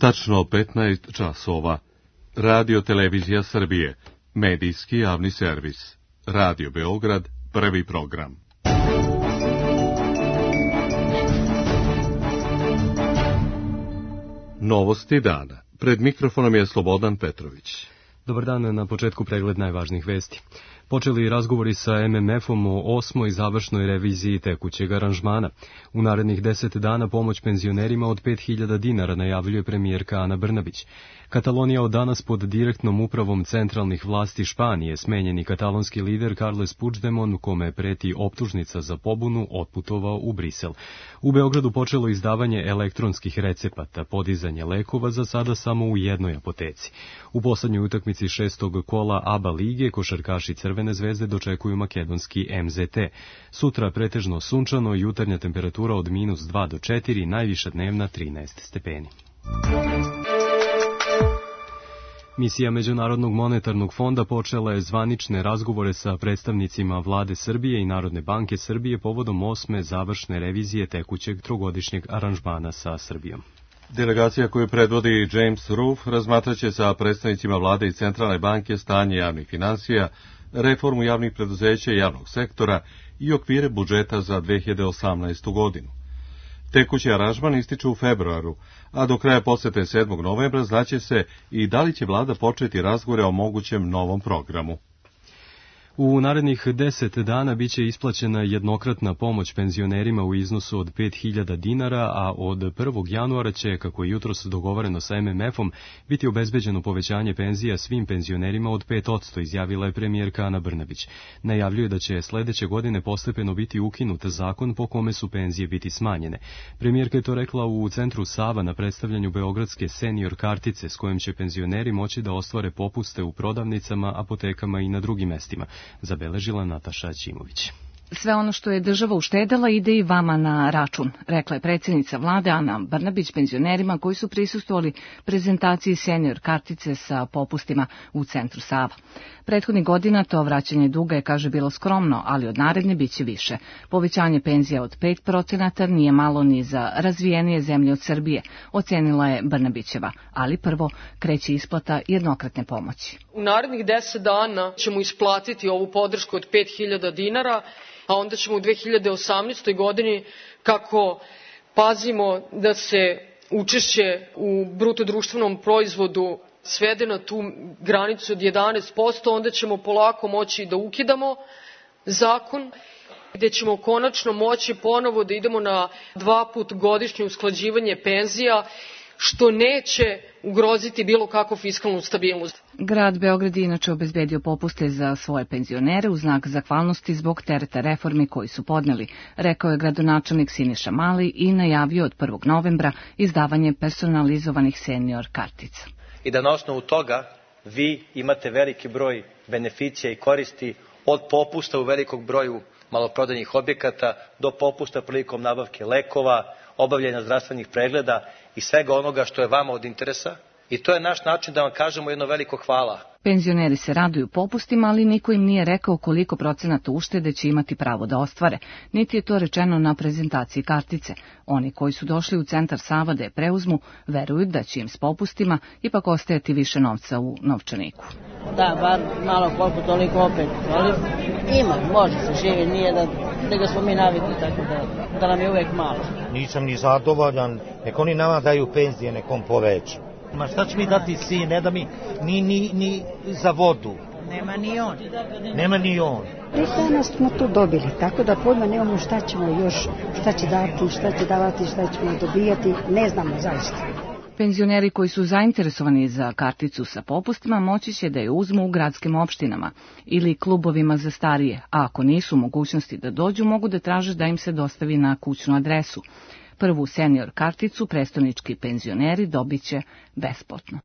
Tačno 15 časova. Radio Televizija Srbije, medijski javni servis. Radio Beograd, prvi program. Novosti dana. Pred mikrofonom je Slobodan Petrović. Dobar dan, na početku pregled najvažnijih vesti. Počeli razgovori sa MMF-om o 8. završnoj reviziji tekućeg aranžmana. U narednih 10 dana pomoć penzionerima od 5.000 dinara najavljuje premijerka Ana Brnabić. Katalonija od danas pod direktnom upravom centralnih vlasti Španije, smenjeni katalonski lider Carles Puigdemont, kome preti optužnica za pobunu, otputovao u Brisel. U Beogradu počelo izdavanje elektronskih recepata, podizanje lekova za sada samo u jednoj apoteci. U poslednjoj utakmici 6. kola ABA lige košarkaši Crvene zvezde dočekuju makedonski MZT. Sutra pretežno sunčano, jutarnja temperatura od -2 do 4, najviša dnevna 13 stepeni. Misija Međunarodnog monetarnog fonda počela je zvanične razgovore sa predstavnicima vlade Srbije i Narodne banke Srbije povodom 8. završne revizije tekućeg trogodišnjeg aranžmana sa Srbijom. Delegacija koju predvodi James Roof razmatraće sa predstavnicima vlade i Centralne banke stanje javnih finansija, reformu javnih preduzeća i javnog sektora i okvire budžeta za 2018. godinu. Tekući aranžman ističe u februaru, a do kraja posete 7. novembra znaće se i da li će vlada početi razgovore o mogućem novom programu. U narednih 10 dana biće isplaćena jednokratna pomoć penzionerima u iznosu od 5.000 dinara, a od 1. januara će, kako je jutros dogovoreno sa MMF-om, biti obezbeđeno povećanje penzija svim penzionerima od 5%, izjavila je premijerka Ana Brnabić. Najavljuje da će sledeće godine postepeno biti ukinut zakon po kome su penzije biti smanjene. Premijerka je to rekla u centru Sava na predstavljanju beogradske senior kartice s kojom će penzioneri moći da ostvare popuste u prodavnicama, apotekama i na drugim mestima, zabeležila Nataša Ćimović. Sve ono što je država uštedela ide i vama na račun, rekla je predsjednica vlade Ana Brnabić penzionerima koji su prisustvovali prezentaciji senior kartice sa popustima u centru Sava. Prethodnih godina to vraćanje duga je, kaže, bilo skromno, ali od naredne biće više. Povećanje penzija od 5% nije malo ni za razvijenije zemlje od Srbije, ocenila je Brnabićeva, ali prvo kreće isplata jednokratne pomoći. U narednih 10 dana ćemo isplatiti ovu podršku od 5.000 dinara, a onda ćemo u 2018. godini, kako pazimo da se učešće u bruto društvenom proizvodu svede na tu granicu od 11%, onda ćemo polako moći da ukidamo zakon, gde ćemo konačno moći ponovo da idemo na 2 puta godišnje usklađivanje penzija, što neće ugroziti bilo kakvu fiskalnu stabilnost. Grad Beograd je inače obezbedio popuste za svoje penzionere u znak zahvalnosti zbog tereta reformi koji su podneli, rekao je gradonačelnik Siniša Mali i najavio od 1. novembra izdavanje personalizovanih senior kartica. I da na osnovu toga vi imate veliki broj beneficija i koristi, od popusta u velikog broju maloprodajnih objekata do popusta prilikom nabavke lekova, obavljanja zdravstvenih pregleda i svega onoga što je vama od interesa. I to je naš način da vam kažemo jedno veliko hvala. Penzioneri se raduju popustima, ali niko im nije rekao koliko procenata uštede će imati pravo da ostvare. Niti je to rečeno na prezentaciji kartice. Oni koji su došli u centar Sava da je preuzmu, veruju da će im s popustima ipak ostajati više novca u novčaniku. Da, bar malo koliko toliko opet, ali ima, može se živi, nije da ga smo mi navikli, tako da nam je uvek malo. Nisam ni zadovoljan, nek oni nama daju penzije, nekom poveću. Ma šta će mi dati sin, ne da mi ni za vodu. Nema ni on. Nema ni on. Mi danas smo to dobili, tako da pojma nemamo šta ćemo još, šta će dati, šta će davati, šta ćemo dobijati, ne znamo zaista. Penzioneri koji su zainteresovani za karticu sa popustima moći će da je uzmu u gradskim opštinama ili klubovima za starije, a ako nisu u mogućnosti da dođu, mogu da traže da im se dostavi na kućnu adresu. Prvu senior karticu prestonički penzioneri dobit će besplatno.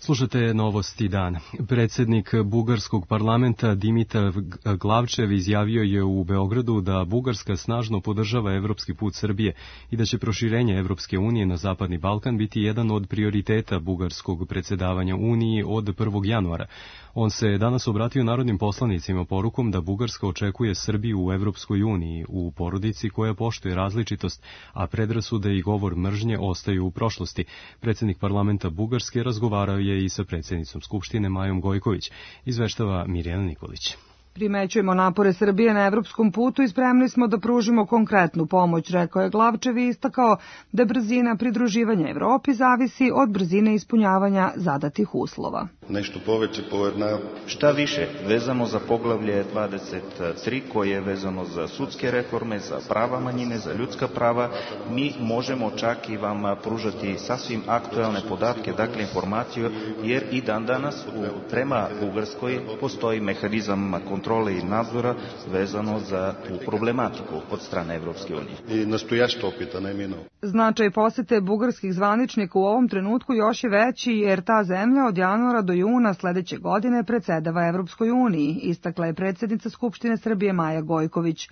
Slušate novosti dana. Predsjednik bugarskog parlamenta Dimitar Glavčev izjavio je u Beogradu da Bugarska snažno podržava evropski put Srbije i da će proširenje Evropske unije na Zapadni Balkan biti jedan od prioriteta bugarskog predsjedavanja Uniji od 1. januara. On se danas obratio narodnim poslanicima porukom da Bugarska očekuje Srbiju u Evropskoj uniji, u porodici koja poštuje različitost, a predrasude i govor mržnje ostaju u prošlosti. Predsjednik parlamenta Bugarske razgovarao je i sa predsjednicom Skupštine Majom Gojković, izveštava Mirjana Nikolić. Primećujemo napore Srbije na evropskom putu i spremni smo da pružimo konkretnu pomoć, rekao je Glavčev i istakao da brzina pridruživanja Evropi zavisi od brzine ispunjavanja zadatih uslova. Nešto poveće povedna. Šta više, vezano za poglavlje 23 koje je vezano za sudske reforme, za prava manjine, za ljudska prava, mi možemo čak i vam pružati sasvim aktualne podatke, dakle informaciju, jer i dan danas prema Bugarskoj postoji mehanizam kontrole i nadzora vezano za tu problematiku od strane Evropske unije. I nastojašto opita, ne minao. Značaj posete bugarskih zvaničnika u ovom trenutku još je veći jer ta zemlja od januara do juna sledeće godine predsedava Evropskoj uniji, istakla je predsjednica Skupštine Srbije Maja Gojković.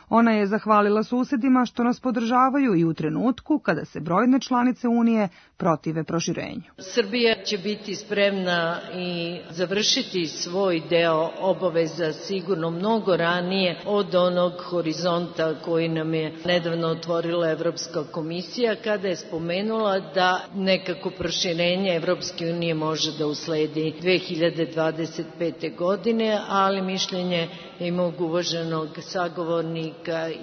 Ona je zahvalila susedima što nas podržavaju i u trenutku kada se brojne članice Unije protive proširenju. Srbija će biti spremna i završiti svoj deo obaveza sigurno mnogo ranije od onog horizonta koji nam je nedavno otvorila Evropska komisija kada je spomenula da nekako proširenje Evropske unije može da usledi 2025. godine, ali mišljenje mog uvaženog sagovornika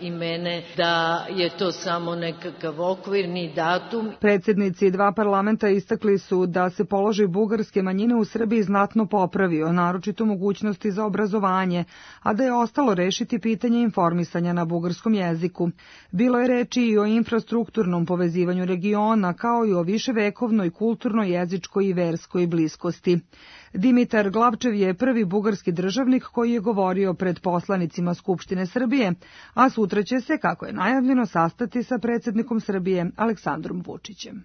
i mene da je to samo nekakav okvirni datum. Predsjednici dva parlamenta istakli su da se položaj bugarske manjine u Srbiji znatno popravio, naročito mogućnosti za obrazovanje, a da je ostalo rešiti pitanje informisanja na bugarskom jeziku. Bilo je reči i o infrastrukturnom povezivanju regiona, kao i o viševekovnoj kulturnoj, jezičkoj i verskoj bliskosti. Dimitar Glavčev je prvi bugarski državnik koji je govorio pred poslanicima Skupštine Srbije, a sutra će se, kako je najavljeno, sastati sa predsjednikom Srbije Aleksandrom Vučićem.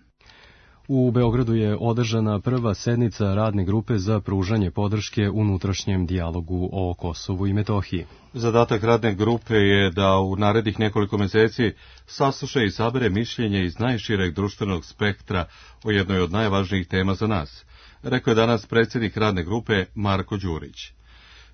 U Beogradu je održana prva sednica radne grupe za pružanje podrške unutrašnjem dijalogu o Kosovu i Metohiji. Zadatak radne grupe je da u narednih nekoliko meseci sasluša i sabere mišljenje iz najšireg društvenog spektra o jednoj od najvažnijih tema za nas, rekao je danas predsjednik radne grupe Marko Đurić.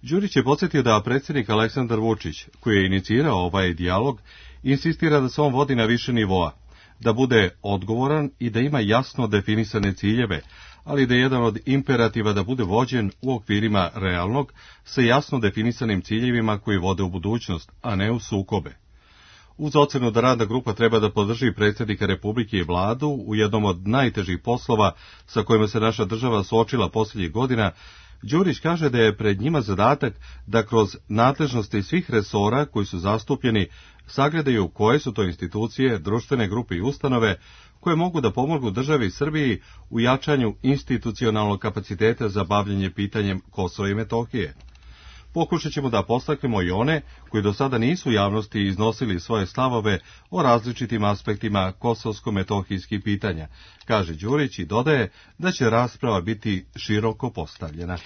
Đurić je podsjetio da predsjednik Aleksandar Vučić, koji je inicirao ovaj dijalog, insistira da se on vodi na više nivoa, da bude odgovoran i da ima jasno definisane ciljeve, ali da je jedan od imperativa da bude vođen u okvirima realnog, sa jasno definisanim ciljevima koji vode u budućnost, a ne u sukobe. Uz ocenu da radna grupa treba da podrži predsjednika Republike i vladu u jednom od najtežih poslova sa kojima se naša država suočila posljednjih godina, Đurić kaže da je pred njima zadatak da kroz nadležnosti svih resora koji su zastupljeni sagledaju koje su to institucije, društvene grupe i ustanove koje mogu da pomognu državi Srbiji u jačanju institucionalnog kapaciteta za bavljenje pitanjem Kosova i Metohije. Pokušat ćemo da postaknemo i one koji do sada nisu u javnosti iznosili svoje stavove o različitim aspektima kosovsko-metohijskih pitanja, kaže Đurić i dodaje da će rasprava biti široko postavljena.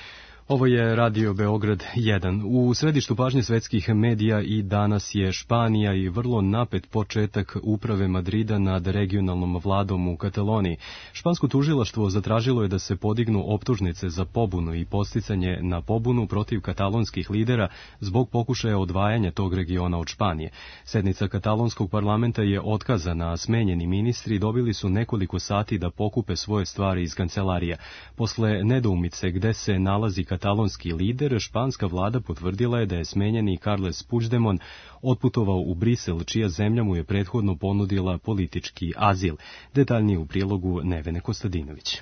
Ovo je Radio Beograd 1. U središtu pažnje svetskih medija i danas je Španija i vrlo napet početak uprave Madrida nad regionalnom vladom u Kataloniji. Špansko tužilaštvo zatražilo je da se podignu optužnice za pobunu i podsticanje na pobunu protiv katalonskih lidera zbog pokušaja odvajanja tog regiona od Španije. Sednica katalonskog parlamenta je otkazana, a smenjeni ministri dobili su nekoliko sati da pokupe svoje stvari iz kancelarija. Posle nedoumice gde se nalazi katalonski lider, španska vlada potvrdila je da je smenjeni Carles Puigdemont otputovao u Brisel, čija zemlja mu je prethodno ponudila politički azil. Detaljnije u prilogu Nevene Kostadinović.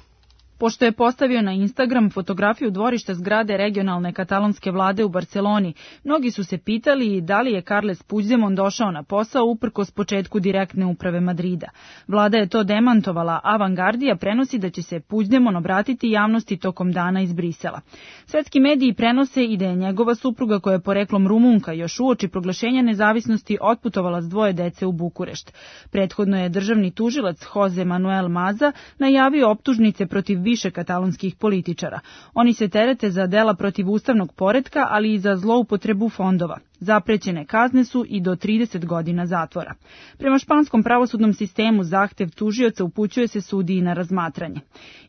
Pošto je postavio na Instagram fotografiju dvorišta zgrade regionalne katalonske vlade u Barceloni, mnogi su se pitali da li je Carles Puigdemont došao na posao uprkos početku direktne uprave Madrida. Vlada je to demantovala, a Vanguardija prenosi da će se Puigdemont obratiti javnosti tokom dana iz Brisela. Svetski mediji prenose i da je njegova supruga, koja je poreklom Rumunka, još uoči proglašenja nezavisnosti otputovala s 2 dece u Bukurešt. Prethodno je državni tužilac Jose Manuel Maza najavio optužnice protiv više katalonskih političara. Oni se terete za dela protiv ustavnog poretka, ali i za zloupotrebu fondova. Zaprećene kazne su i do 30 godina zatvora. Prema španskom pravosudnom sistemu zahtev tužioca upućuje se sudiji na razmatranje.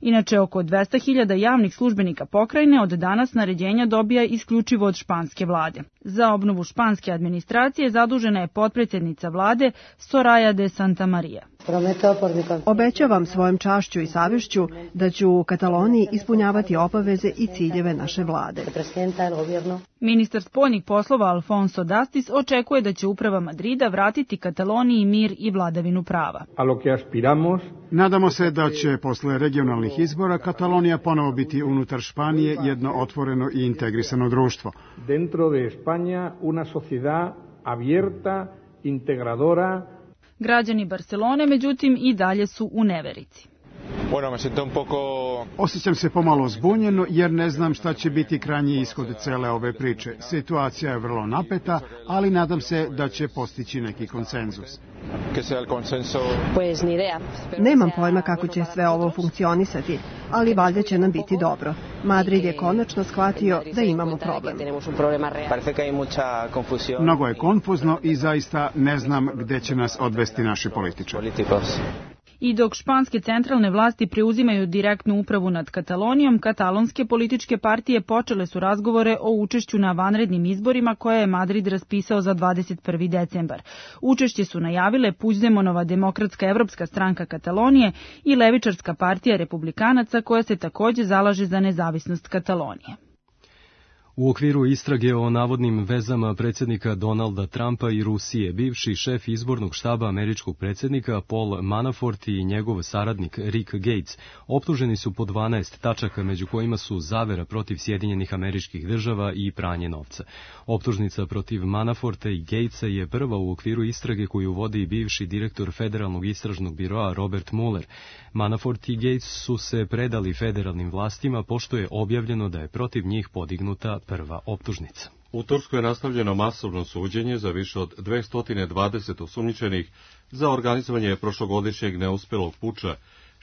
Inače, oko 200.000 javnih službenika pokrajine od danas naređenja dobija isključivo od španske vlade. Za obnovu španske administracije zadužena je potpredsjednica vlade Soraya de Santamaría. Obećavam svojom čašću i savješću da ću u Kataloniji ispunjavati obaveze i ciljeve naše vlade. Ministar spoljnih poslova Alfonso Dastis očekuje da će uprava Madrida vratiti Kataloniji mir i vladavinu prava. Nadamo se da će posle regionalnih izbora Katalonija ponovo biti unutar Španije jedno otvoreno i integrisano društvo. Dentro de España una sociedad abierta, integradora. Građani Barcelone, međutim, i dalje su u neverici. Osjećam se pomalo zbunjeno jer ne znam šta će biti krajnji ishod cele ove priče. Situacija je vrlo napeta, ali nadam se da će postići neki konsenzus. Nemam pojma kako će sve ovo funkcionisati, ali valjda će nam biti dobro. Madrid je konačno shvatio da imamo problem. Mnogo je konfuzno i zaista ne znam gde će nas odvesti naši političari. I dok španske centralne vlasti preuzimaju direktnu upravu nad Katalonijom, katalonske političke partije počele su razgovore o učešću na vanrednim izborima koje je Madrid raspisao za 21. decembar. Učešće su najavile Puigdemonova Demokratska evropska stranka Katalonije i levičarska partija republikanaca koja se takođe zalaže za nezavisnost Katalonije. U okviru istrage o navodnim vezama predsjednika Donalda Trumpa i Rusije, bivši šef izbornog štaba američkog predsjednika Paul Manafort i njegov saradnik Rick Gates optuženi su po 12 tačaka, među kojima su zavera protiv Sjedinjenih Američkih Država i pranje novca. Optužnica protiv Manaforta i Gatesa je prva u okviru istrage koju vodi bivši direktor Federalnog istražnog biroa Robert Mueller. Manafort i Gates su se predali federalnim vlastima pošto je objavljeno da je protiv njih podignuta prva optužnica. U Turskoj je nastavljeno masovno suđenje za više od 220 osumnjičenih za organizovanje prošlogodišnjeg neuspelog puča,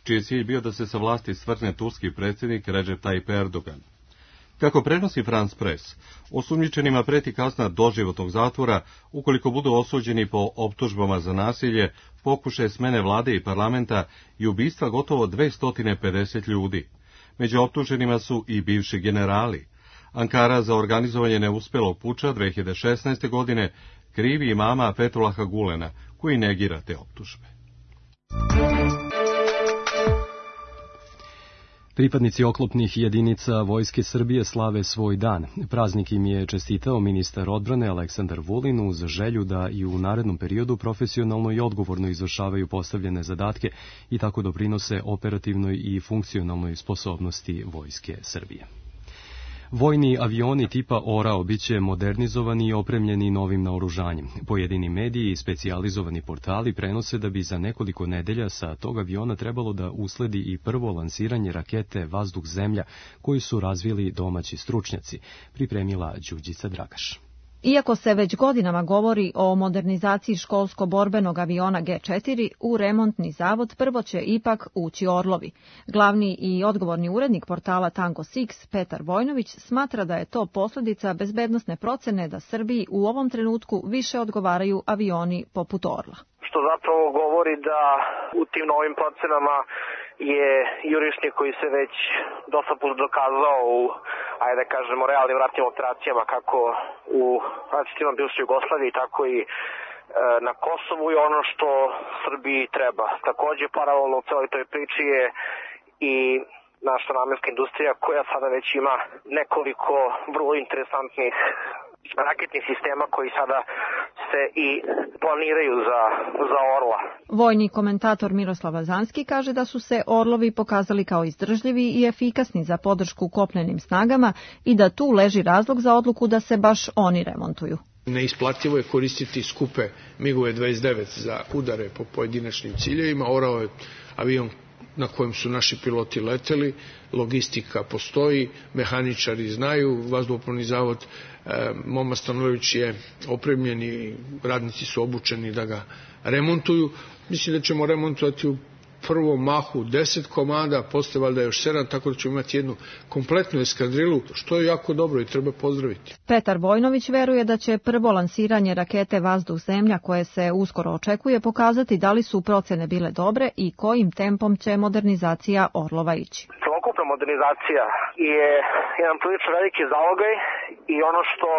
čiji je cilj bio da se sa vlasti svrgne turski predsjednik Recep Tayyip Erdogan. Kako prenosi France Press, osumnjičenima preti kazna doživotnog zatvora ukoliko budu osuđeni po optužbama za nasilje, pokušaje smene vlade i parlamenta i ubistva gotovo 250 ljudi. Među optuženima su i bivši generali. Ankara za organizovanje neuspelog puča 2016. godine krivi imama Fethullaha Gulena, koji negira te optužbe. Pripadnici oklopnih jedinica Vojske Srbije slave svoj dan. Praznik im je čestitao ministar odbrane Aleksandar Vulin uz želju da i u narednom periodu profesionalno i odgovorno izvršavaju postavljene zadatke i tako doprinose operativnoj i funkcionalnoj sposobnosti Vojske Srbije. Vojni avioni tipa Orao biće modernizovani i opremljeni novim naoružanjem. Pojedini mediji i specijalizovani portali prenose da bi za nekoliko nedelja sa tog aviona trebalo da usledi i prvo lansiranje rakete vazduh-zemlja koju su razvili domaći stručnjaci, pripremila Đurđica Dragaš. Iako se već godinama govori o modernizaciji školsko-borbenog aviona G4, u remontni zavod prvo će ipak ući Orlovi. Glavni i odgovorni urednik portala Tango Six, Petar Vojnović, smatra da je to posljedica bezbednosne procene da Srbiji u ovom trenutku više odgovaraju avioni poput Orla. Što zapravo govori da u tim novim procenama je jurišnik koji se već dosta put dokazao u, ajde da kažemo, realnim ratnim operacijama kako u različitima bivšoj Jugoslaviji, tako i na Kosovu i ono što Srbiji treba. Takođe, paralelno u celoj toj priči je i naša namenska industrija koja sada već ima nekoliko vrlo interesantnih raketnih sistema koji sada se i planiraju za Orla. Vojni komentator Miroslav Lazanski kaže da su se Orlovi pokazali kao izdržljivi i efikasni za podršku kopnenim snagama i da tu leži razlog za odluku da se baš oni remontuju. Neisplativo je koristiti skupe MiG-ove 29 za udare po pojedinačnim ciljevima. Orao je avion na kojem su naši piloti leteli, logistika postoji, mehaničari znaju, vazduhoplovni zavod Moma Stanojević je opremljen i radnici su obučeni da ga remontuju. Mislim da ćemo remontovati u prvom mahu 10 komada, posle valjda još 7, tako da ćemo imati jednu kompletnu eskadrilu, što je jako dobro i treba pozdraviti. Petar Vojnović veruje da će prvo lansiranje rakete Vazduh-Zemlja, koje se uskoro očekuje, pokazati da li su procene bile dobre i kojim tempom će modernizacija Orlova ići. Celokupna modernizacija je jedan prilično veliki zalogaj i ono što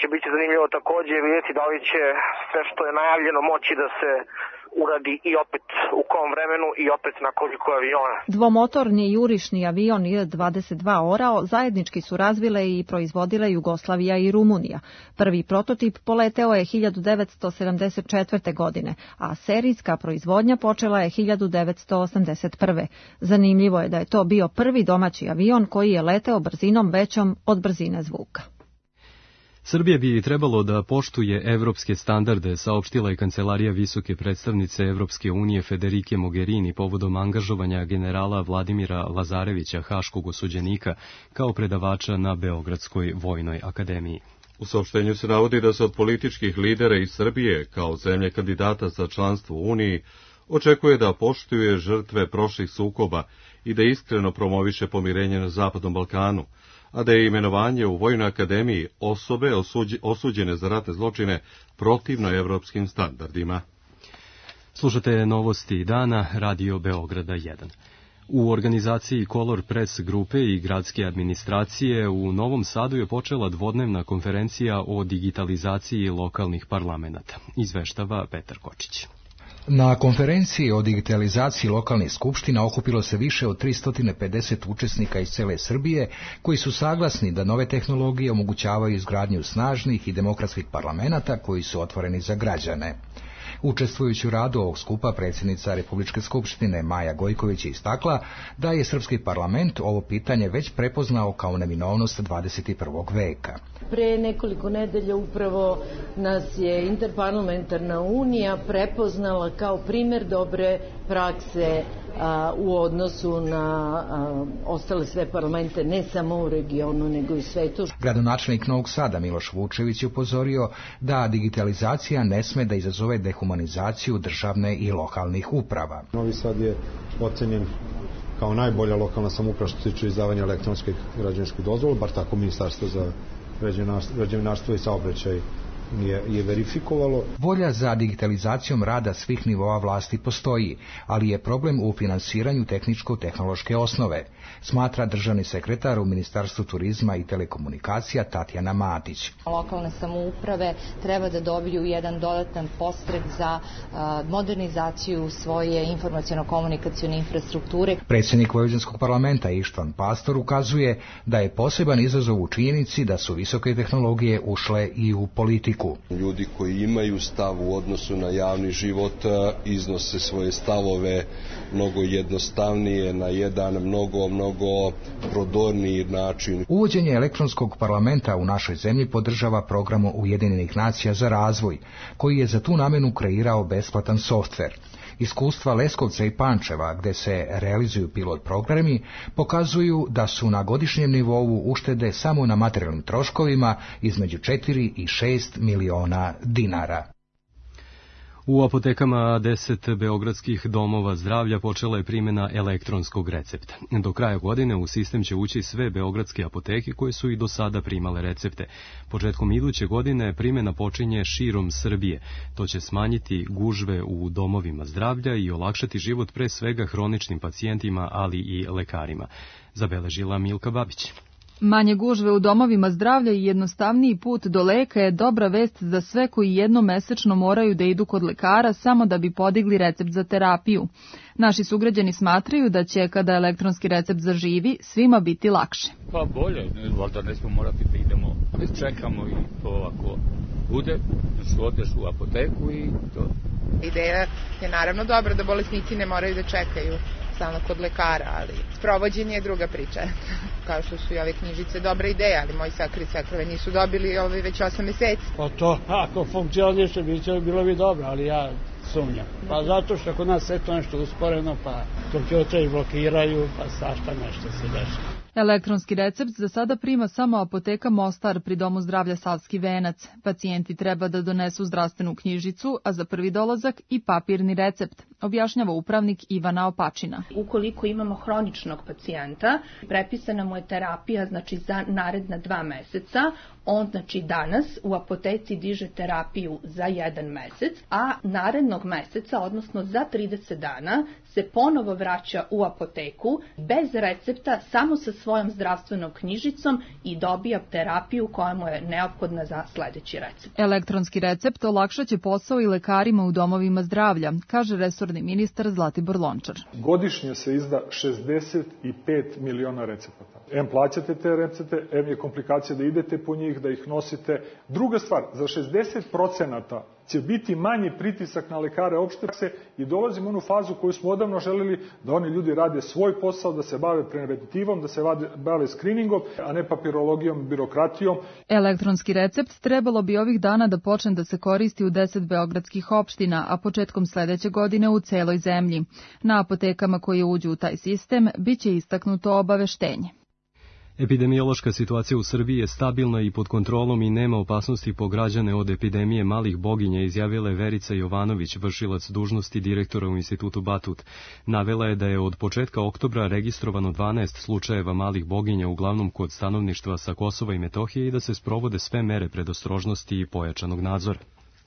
će biti zanimljivo takođe je vidjeti da li će sve što je najavljeno moći da se uradi i opet u kom vremenu i opet na koliko aviona. Dvomotorni jurišni avion Il-22 Orao zajednički su razvile i proizvodile Jugoslavija i Rumunija. Prvi prototip poleteo je 1974. godine, a serijska proizvodnja počela je 1981. Zanimljivo je da je to bio prvi domaći avion koji je leteo brzinom većom od brzine zvuka. Srbija bi trebalo da poštuje evropske standarde, saopštila je Kancelarija visoke predstavnice Evropske unije Federike Mogherini povodom angažovanja generala Vladimira Lazarevića, haškog osuđenika, kao predavača na Beogradskoj vojnoj akademiji. U saopštenju se navodi da se od političkih lidera iz Srbije, kao zemlje kandidata za članstvo u Uniji, očekuje da poštuje žrtve prošlih sukoba i da iskreno promoviše pomirenje na Zapadnom Balkanu, a da je imenovanje u Vojnoj akademiji osobe osuđene za ratne zločine protivno evropskim standardima. Slušate novosti dana, Radio Beograda 1. U organizaciji Color Press grupe i gradske administracije u Novom Sadu je počela dvodnevna konferencija o digitalizaciji lokalnih parlamenata. Izveštava Petar Kočić. Na konferenciji o digitalizaciji lokalnih skupština okupilo se više od 350 učesnika iz cele Srbije koji su saglasni da nove tehnologije omogućavaju izgradnju snažnih i demokratskih parlamenata koji su otvoreni za građane. Učestvujući u radu ovog skupa, predsjednica Republičke skupštine Maja Gojković je istakla da je srpski parlament ovo pitanje već prepoznao kao neminovnost 21. veka. Pre nekoliko nedelja upravo nas je Interparlamentarna unija prepoznala kao primer dobre prakse u odnosu na ostale sve parlamente, ne samo u regionu, nego i svetu. Gradonačelnik Novog Sada Miloš Vučević je upozorio da digitalizacija ne sme da izazove dehumanizaciju državne i lokalnih uprava. Novi Sad je ocenjen kao najbolja lokalna samouprava što se tiče izdavanja elektronskih građevinskih dozvola, bar tako Ministarstvo za građevinarstvo i saobraćaj je verifikovalo. Volja za digitalizacijom rada svih nivoa vlasti postoji, ali je problem u finansiranju tehničko-tehnološke osnove, smatra državni sekretar u Ministarstvu turizma i telekomunikacija Tatjana Matić. Lokalne samouprave treba da dobiju jedan dodatan podstrek za modernizaciju svoje informaciono-komunikacione infrastrukture. Predsjednik Vojvođanskog parlamenta Ištvan Pastor ukazuje da je poseban izazov u činjenici da su visoke tehnologije ušle i u politiku. Ljudi koji imaju stav u odnosu na javni život iznose svoje stavove mnogo jednostavnije, na jedan mnogo prodorniji način. Uvođenje elektronskog parlamenta u našoj zemlji podržava program Ujedinjenih nacija za razvoj, koji je za tu namenu kreirao besplatan softver. Iskustva Leskovca i Pančeva, gde se realizuju pilot programi, pokazuju da su na godišnjem nivou uštede samo na materijalnim troškovima između 4 i 6 miliona dinara. U apotekama 10 beogradskih domova zdravlja počela je primjena elektronskog recepta. Do kraja godine u sistem će ući sve beogradske apoteke koje su i do sada primale recepte. Početkom iduće godine primjena počinje širom Srbije. To će smanjiti gužve u domovima zdravlja i olakšati život pre svega hroničnim pacijentima, ali i lekarima. Zabeležila Milka Babić. Manje gužve u domovima zdravlja i jednostavniji put do leka je dobra vest za sve koji jednom mesečno moraju da idu kod lekara samo da bi podigli recept za terapiju. Naši sugrađani smatraju da će, kada elektronski recept zaživi, svima biti lakše. Pa bolje, valjda ne smo morati da idemo, čekamo i to ako bude, odeš u apoteku i to. Ideja je naravno dobra da bolesnici ne moraju da čekaju stalno kod lekara, ali sprovođenje je druga priča. Kao što su i ove knjižice dobra ideja, ali moji sakri sakrove nisu dobili već 8 meseci. Pa to, ako funkcioniše, bilo bi dobro, ali ja sumnjam. Pa zato što kod nas sve to nešto usporeno, pa kompjuteri blokiraju, pa svašta nešto se dešava. Elektronski recept za sada prima samo apoteka Mostar pri Domu zdravlja Savski venac. Pacijenti treba da donesu zdravstvenu knjižicu, a za prvi dolazak i papirni recept, objašnjava upravnik Ivana Opačina. Ukoliko imamo hroničnog pacijenta, prepisana mu je terapija za naredna 2 meseca, on danas u apoteci diže terapiju za 1 mesec, a narednog meseca, odnosno za 30 dana, se ponovo vraća u apoteku bez recepta, samo sa svojom zdravstvenom knjižicom i dobija terapiju koja mu je neophodna za sledeći recept. Elektronski recept olakšaće posao i lekarima u domovima zdravlja, kaže resorni ministar Zlatibor Lončar. Godišnje se izda 65 miliona recepata. Em plaćate te recepte, em je komplikacija da idete po njih, da ih nosite. Druga stvar, za 60% će biti manji pritisak na lekare opšte prakse i dolazimo u onu fazu koju smo odavno želeli, da oni ljudi rade svoj posao, da se bave preventivom, da se bave skriningom, a ne papirologijom, birokratijom. Elektronski recept trebalo bi ovih dana da počne da se koristi u 10 beogradskih opština, a početkom sledeće godine u celoj zemlji. Na apotekama koje uđu u taj sistem biće istaknuto obaveštenje. Epidemiološka situacija u Srbiji je stabilna i pod kontrolom i nema opasnosti po građane od epidemije malih boginja, izjavila je Verica Jovanović, vršilac dužnosti direktora u Institutu Batut. Navela je da je od početka oktobra registrovano 12 slučajeva malih boginja, uglavnom kod stanovništva sa Kosova i Metohije, i da se sprovode sve mere predostrožnosti i pojačanog nadzora.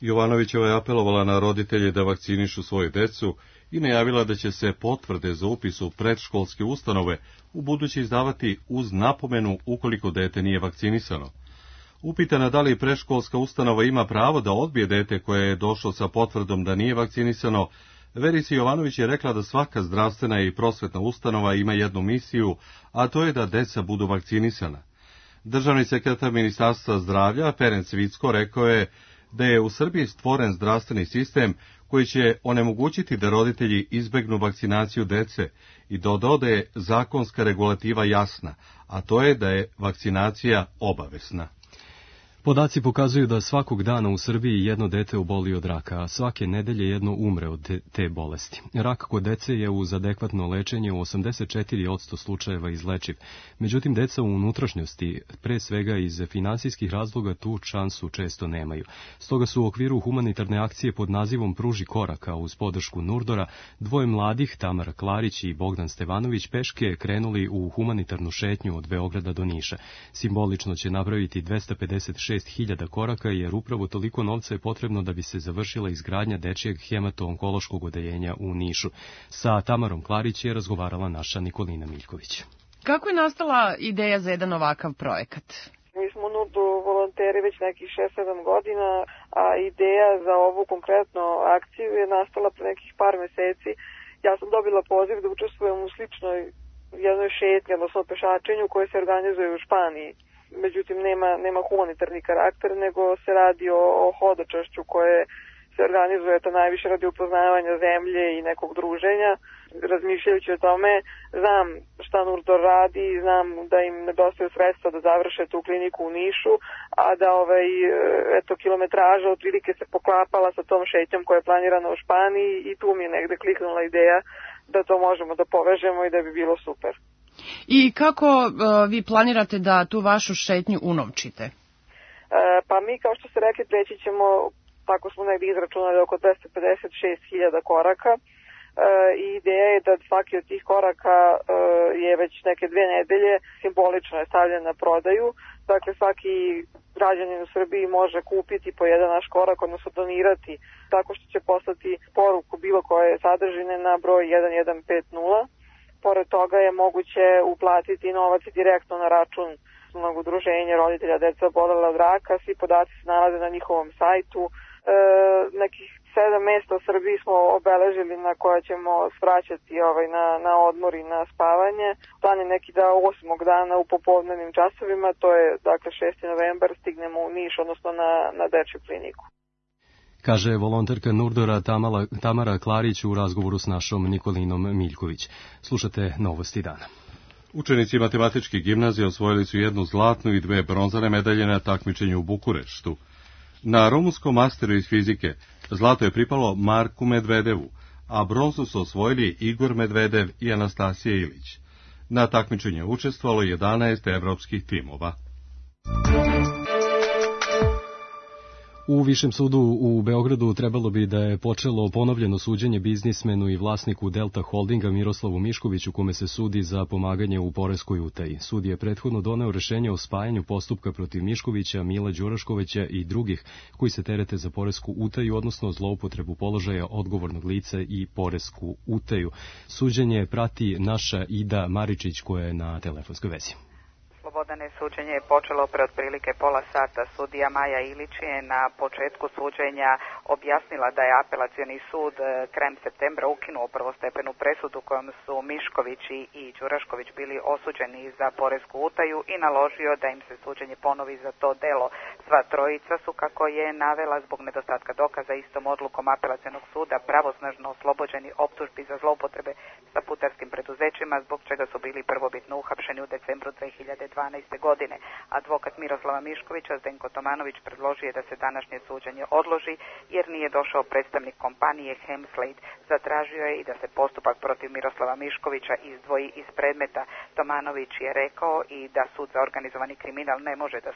Jovanovićeva je apelovala na roditelje da vakcinišu svoje decu i najavila da će se potvrde za upis u predškolske ustanove u buduće izdavati uz napomenu ukoliko dete nije vakcinisano. Upitana da li predškolska ustanova ima pravo da odbije dete koje je došlo sa potvrdom da nije vakcinisano, Verica Jovanović je rekla da svaka zdravstvena i prosvetna ustanova ima jednu misiju, a to je da deca budu vakcinisana. Državni sekretar Ministarstva zdravlja Ferenc Vicko rekao je da je u Srbiji stvoren zdravstveni sistem koji će onemogućiti da roditelji izbegnu vakcinaciju dece i dodao da je zakonska regulativa jasna, a to je da je vakcinacija obavezna. Podaci pokazuju da svakog dana u Srbiji jedno dete oboli od raka, a svake nedelje jedno umre od te bolesti. Rak kod dece je uz adekvatno lečenje u 84% slučajeva izlečiv. Međutim, deca u unutrašnjosti, pre svega iz finansijskih razloga, tu šansu često nemaju. Stoga su u okviru humanitarne akcije pod nazivom Pruži koraka uz podršku Nurdora, dvoje mladih, Tamara Klarić i Bogdan Stevanović, peške krenuli u humanitarnu šetnju od Beograda do Niša. Simbolično će napraviti 256.000 koraka, jer upravo toliko novca je potrebno da bi se završila izgradnja dečijeg hemato-onkološkog odeljenja u Nišu. Sa Tamarom Klarić je razgovarala naša Nikolina Miljković. Kako je nastala ideja za jedan ovakav projekat? Mi smo u Nurdu volonteri već nekih 6-7 godina, a ideja za ovu konkretnu akciju je nastala pre nekih par meseci. Ja sam dobila poziv da učestvujem u sličnoj jednoj šetnji, odnosno pešačenju koje se organizuje u Španiji. Međutim, nema humanitarni karakter, nego se radi o hodočašću koje se organizuje to najviše radi upoznavanja zemlje i nekog druženja. Razmišljajući o tome, znam šta Nurdor radi, znam da im nedostaju sredstva da završe tu kliniku u Nišu, a da kilometraža otprilike se poklapala sa tom šetnjom koja je planirana u Španiji i tu mi je negde kliknula ideja da to možemo da povežemo i da bi bilo super. I kako vi planirate da tu vašu šetnju unovčite? Pa mi, kao što ste rekli, preći ćemo, tako smo negdje izračunali, oko 256.000 koraka. I ideja je da svaki od tih koraka je već neke 2 nedelje simbolično je stavljen na prodaju. Dakle, svaki građanin u Srbiji može kupiti po jedan naš korak, odnosno donirati, tako što će poslati poruku bilo koje sadržine na broj 1150. Pored toga je moguće uplatiti novac direktno na račun udruženja roditelja dece obolele od raka. Svi podaci se nalaze na njihovom sajtu. Nekih 7 mesta u Srbiji smo obeležili na koja ćemo svraćati na odmor i na spavanje. Plan je neki da 8. dana u popodnevnim časovima, to je dakle 6. novembar, stignemo u Niš, odnosno na dečju kliniku. Kaže volonterka Nurdora Tamara Klarić u razgovoru s našom Nikolinom Miljković. Slušate Novosti dana. Učenici matematičke gimnazije osvojili su 1 zlatnu i 2 bronzane medalje na takmičenju u Bukureštu. Na rumunskom masteru iz fizike zlato je pripalo Marku Medvedevu, a bronzu su osvojili Igor Medvedev i Anastasija Ilić. Na takmičenju učestvovalo 11 evropskih timova. U Višem sudu u Beogradu trebalo bi da je počelo ponovljeno suđenje biznismenu i vlasniku Delta Holdinga Miroslavu Miškoviću, kome se sudi za pomaganje u poreskoj utaji. Sud je prethodno doneo rešenje o spajanju postupka protiv Miškovića, Mila Đuraškovića i drugih koji se terete za poresku utaju, odnosno zloupotrebu položaja odgovornog lica i poresku utaju. Suđenje prati naša Ida Maričić koja je na telefonskoj vezi. Slobodane, suđenje je počelo pre otprilike pola sata. Sudija Maja Ilić je na početku suđenja objasnila da je apelacioni sud krajem septembra ukinuo prvostepenu presudu kojom su Mišković i Đurašković bili osuđeni za poresku utaju i naložio da im se suđenje ponovi za to delo. Sva trojica su, kako je navela, zbog nedostatka dokaza istom odlukom apelacionog suda pravosnažno oslobođeni optužbi za zloupotrebe sa putarskim preduzećima, zbog čega su bili prvobitno uhapšeni u decembru 2012. godine. Advokat Miroslava Miškovića, Zdenko Tomanović, predložio je da se današnje suđenje odloži jer nije došao predstavnik kompanije Hemslade. Zatražio je i da se postupak protiv Miroslava Miškovića izdvoji iz predmeta. Tomanović je rekao i da sud za organizovani kriminal ne može da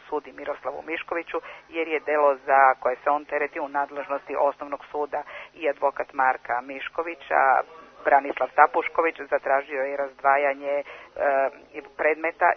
sudi Miroslavu Miškoviću jer je delo za koje se on tereti u nadležnosti osnovnog suda. I advokat Marka Miškovića, Branislav Tapušković, zatražio je razdvajanje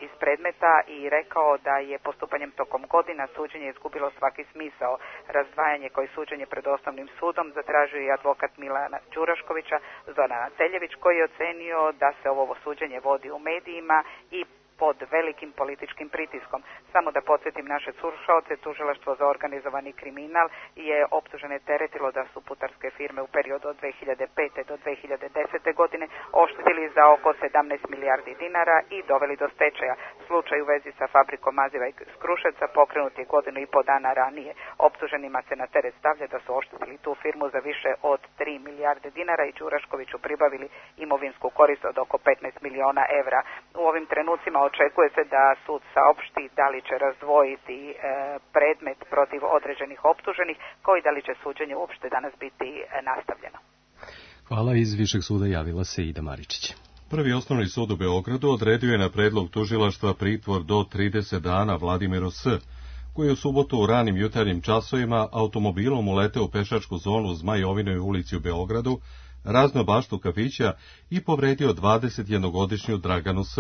iz predmeta i rekao da je postupanjem tokom godina suđenje izgubilo svaki smisao. Razdvajanje koje suđenje pred osnovnim sudom zatražio je advokat Milana Đuraškovića, Zorana Celjević, koji je ocenio da se ovo suđenje vodi u medijima i pod velikim političkim pritiskom. Samo da podsjetim naše slušaoce, tužilaštvo za organizovani kriminal je optužene teretilo da su putarske firme u periodu od 2005. do 2010. godine oštetili za oko 17 milijardi dinara i doveli do stečaja. Slučaj u vezi sa fabrikom maziva iz Kruševca pokrenut je godinu i po dana ranije. Optuženima se na teret stavlja da su oštetili tu firmu za više od 3 milijarde dinara i Đuraškoviću pribavili imovinsku korist od oko 15 miliona evra. U ovim trenucima očekuje se da sud saopšti da li će razdvojiti predmet protiv određenih optuženih, kao i da li će suđenje uopšte danas biti nastavljeno. Hvala, iz Višeg suda javila se Ida Maričić. Prvi osnovni sud u Beogradu odredio je na predlog tužilaštva pritvor do 30 dana Vladimiru S., koji je u subotu u ranim jutarnjim časovima automobilom uleteo u pešačku zonu u Zmajovinoj ulici u Beogradu, razneo baštu kafića i povredio 21-godišnju Draganu S.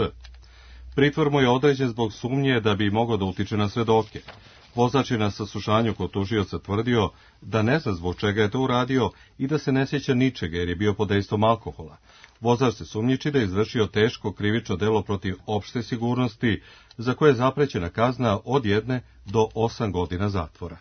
Pritvor mu je određen zbog sumnje da bi mogao da utiče na svedoke. Vozač je na saslušanju kod tužioca tvrdio da ne zna zbog čega je to uradio i da se ne sjeća ničega jer je bio pod dejstvom alkohola. Vozač se sumnjiči da je izvršio teško krivično delo protiv opšte sigurnosti, za koje je zaprećena kazna od 1 do 8 godina zatvora.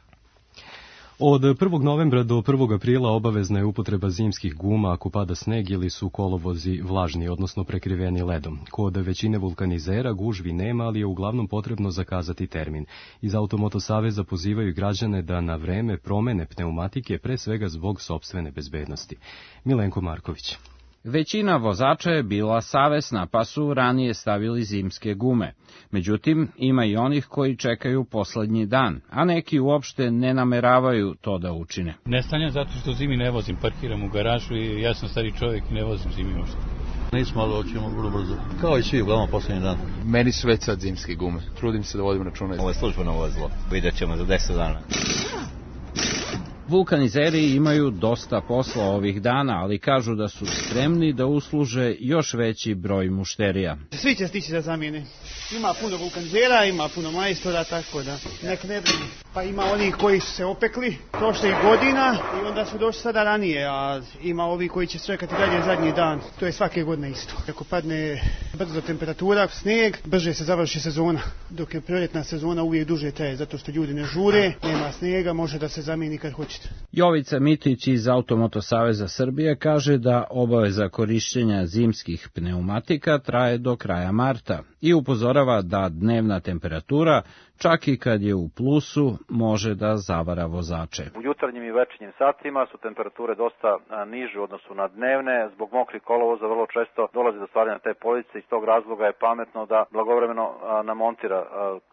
Od 1. novembra do 1. aprila obavezna je upotreba zimskih guma ako pada sneg ili su kolovozi vlažni, odnosno prekriveni ledom. Kod većine vulkanizera gužvi nema, ali je uglavnom potrebno zakazati termin. Iz Automoto Saveza pozivaju građane da na vreme promene pneumatike, pre svega zbog sopstvene bezbednosti. Milenko Marković. Većina vozača je bila savesna, pa su ranije stavili zimske gume. Međutim, ima i onih koji čekaju poslednji dan, a neki uopšte ne nameravaju to da učine. Ne stanjem zato što zimi ne vozim, parkiram u garažu i ja sam stari čovjek i ne vozim zimi uopšte. Nismo, ali hoćemo vrlo brzo. Kao i svi, uglavnom poslednji dan. Meni su već sad zimske gume. Trudim se da vodim računa. Ovo je službeno vozilo. Vidjet ćemo za 10 dana. Vulkanizeri imaju dosta posla ovih dana, ali kažu da su spremni da usluže još veći broj mušterija. Svi će stići da zamijene. Ima puno vulkanizera, ima puno majstora, tako da nek ne brini. Pa ima onih koji su se opekli prošlih godina i onda su došli sada ranije, a ima ovi koji će čekati dalje zadnji dan. To je svake godine isto. Ako padne brzo temperatura, snijeg, brže se završi sezona. Dok je proljetna sezona uvijek duže traje, zato što ljudi ne žure, nema snijega, može da se zamijeni kad hoćete. Jovica Mitić iz Automoto Saveza Srbije kaže da obaveza korišćenja zimskih pneumatika traje do kraja marta i upozorava da dnevna temperatura, čak i kad je u plusu, može da zavara vozače. U jutarnjim i večernjim satima su temperature dosta niže u odnosu na dnevne. Zbog mokrih kolovoza vrlo često dolazi do stvaranja te police. Iz tog razloga je pametno da blagovremeno namontira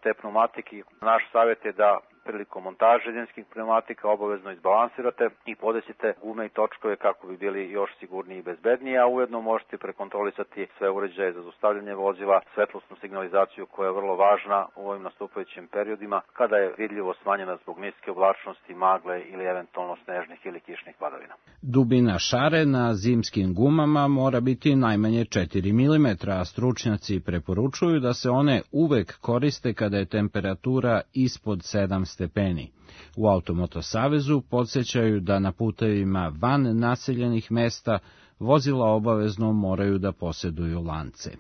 te pneumatike. Naš savjet je da prilikom montaže zimskih pneumatika obavezno izbalansirate i podesite gume i točkove kako bi bili još sigurniji i bezbedniji, a ujedno možete prekontrolisati sve uređaje za zaustavljanje vozila, svetlosnu signalizaciju koja je vrlo važna u ovim nastupajućim periodima kada je vidljivo smanjena zbog niske oblačnosti, magle ili eventualno snežnih ili kišnih padavina. Dubina šare na zimskim gumama mora biti najmanje 4 mm, a stručnjaci preporučuju da se one uvek koriste kada je temperatura ispod 7 stepeni. U Automoto Savezu podsjećaju da na putevima van naseljenih mesta vozila obavezno moraju da posjeduju lance.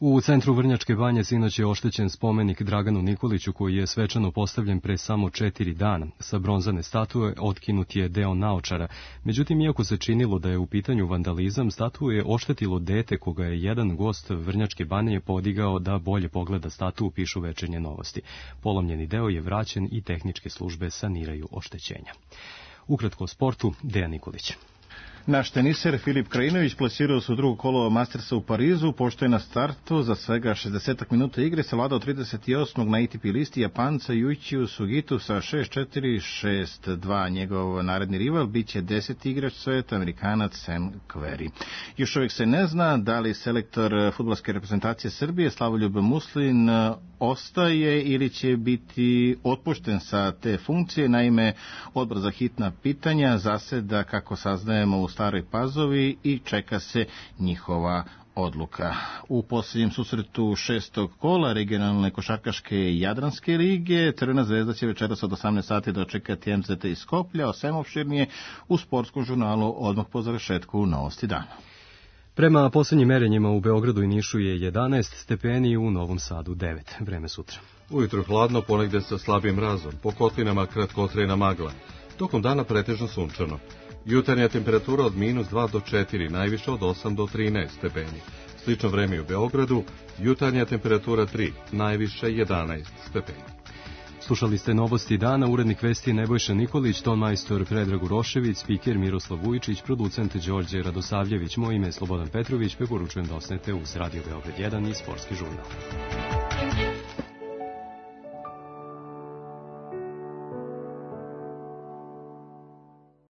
U centru Vrnjačke Banje sinoć je oštećen spomenik Draganu Nikoliću koji je svečano postavljen pre samo 4 dana. Sa bronzane statue otkinut je deo naočara. Međutim, iako se činilo da je u pitanju vandalizam, statue je oštetilo dete koga je jedan gost Vrnjačke Banje podigao da bolje pogleda statu, pišu Večernje novosti. Polomljeni deo je vraćen i tehničke službe saniraju oštećenja. Ukratko o sportu, Dejan Nikolić. Naš teniser Filip Krajinović plasirao se u drugo kolo Mastersa u Parizu, pošto je na startu za svega 60 minuta igre savladao 38. na ATP listi Japanca Yuichiju Sugitu sa 6-4, 6-2. Njegov naredni rival biće 10. igrač sveta, Amerikanac Sam Querrey. Još uvijek se ne zna da li selektor fudbalske reprezentacije Srbije Slavoljub Muslin ostaje ili će biti otpušten sa te funkcije. Naime, odbor za hitna pitanja zaseda, kako saznajemo, u Staroj Pazovi i čeka se njihova odluka. U posljednjem susretu 6. kola regionalne košarkaške Jadranske lige Crvena zvezda će večeras od 18 sati dočekati MZT iz Skoplja, o svemu opširnije u sportskom žurnalu odmah po završetku Novosti dana. Prema posljednjim merenjima u Beogradu i Nišu je 11 stepeni, u Novom Sadu 9. Vreme sutra. Ujutro hladno, ponegde sa slabim mrazom, po kotlinama kratkotrajna magla. Tokom dana pretežno sunčano. Jutarnja temperatura od -2 do 4, najviše od 8 do 13 stepeni. Slično vreme u Beogradu, jutarnja temperatura 3, najviše 11 stepeni. Slušali ste Novosti dana, urednik vesti Nebojša Nikolić, ton majstor Predrag Urošević, spiker Miroslav Vujičić, producent Đorđe Radosavljević, moje ime je Slobodan Petrović, preporučujem da osnete uz Radio Beograd 1 i Sportski žurnal.